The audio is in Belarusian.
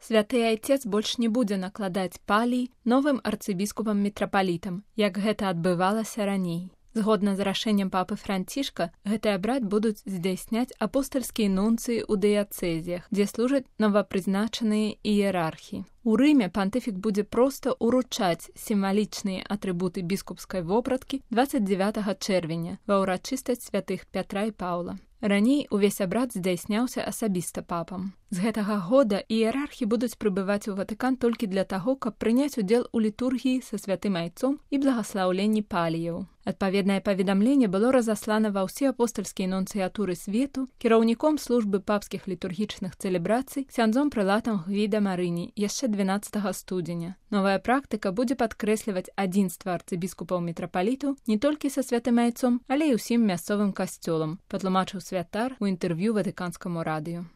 Святы айцец больш не будзе накладаць палій новым арцыбіскупам-мітрапалітам, як гэта адбывалася раней. Згодна з рашэннем папы Францішка, гэты абрад будуць здзяйсняць апостальскія нунцыі ў дыяцэзіях, дзе служаць новапрызначаныя іерархі. У Рыме пантыфік будзе проста уручаць сімвалічныя атрыбуты біскупскай вопраткі 29 чэрвеня ва ўрачыстасць святых Пятра і Паўла. Раней увесь абрад здзяйсняўся асабіста папам. З гэтага года іерархі будуць прыбываць у Ватыкан толькі для таго, каб прыняць удзел у літургіі са святым айцом і благаслаўленні паліяў. Адпаведнае паведамленне было разаслана ва ўсе апостальскія нунцыятуры свету кіраўніком службы папскіх літургічных цэлебрацый ксяндзом прэлатам Гвіда Марыні яшчэ 12 студзеня. Новая практыка будзе падкрэсліваць адзінства арцыбіскупаў-мітрапалітаў не толькі са святым айцом, але і ўсім мясцовым касцёлам, патлумачыў святар у інтэрв'ю Ватыканскаму радыё.